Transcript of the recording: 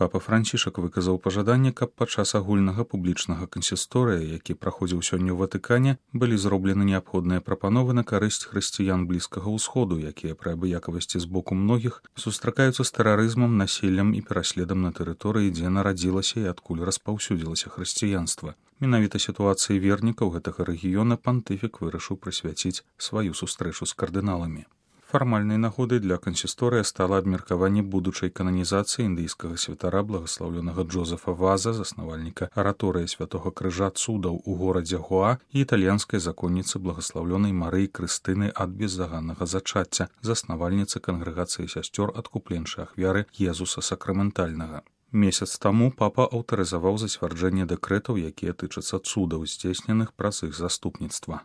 Папа Францішак выказаў пажаданне, каб падчас агульнага публічнага кансісторыя, які праходзіў сёння ў Ватыкане, былі зроблены неабходныя прапановы на карысць хрысціян Блізкага ўсходу, якія пры абыякавасці з боку многіх сустракаюцца з тэрарызмам, насіллем і пераследам на тэрыторыі, дзе нарадзілася і адкуль распаўсюдзілася хрысціянства. Менавіта сітуацыі вернікаў гэтага рэгіёна пантыфік вырашыў прысвяціць сваю сустрэчу з кардыналамі. Фармальнай нагодай для кансісторыя стала абмеркаванне будучай кананізацыі індыйскага святара благаслаўлёнага Джозефа Ваза, заснавальніка араторыі Святога Крыжа цудаў у горадзе Гоа, і італьянскай законніцы благаслаўлёнай Марыі Крыстыны ад беззаганнага зачацця, заснавальніцы кангрэгацыі сясцёр адкупленчай ахвяры Езуса Сакраментальнага. Месяц таму папа аўтарызаваў зацвярджэнне дэкрэтаў, якія тычацца цудаў, здзейсненых праз іх заступніцтва.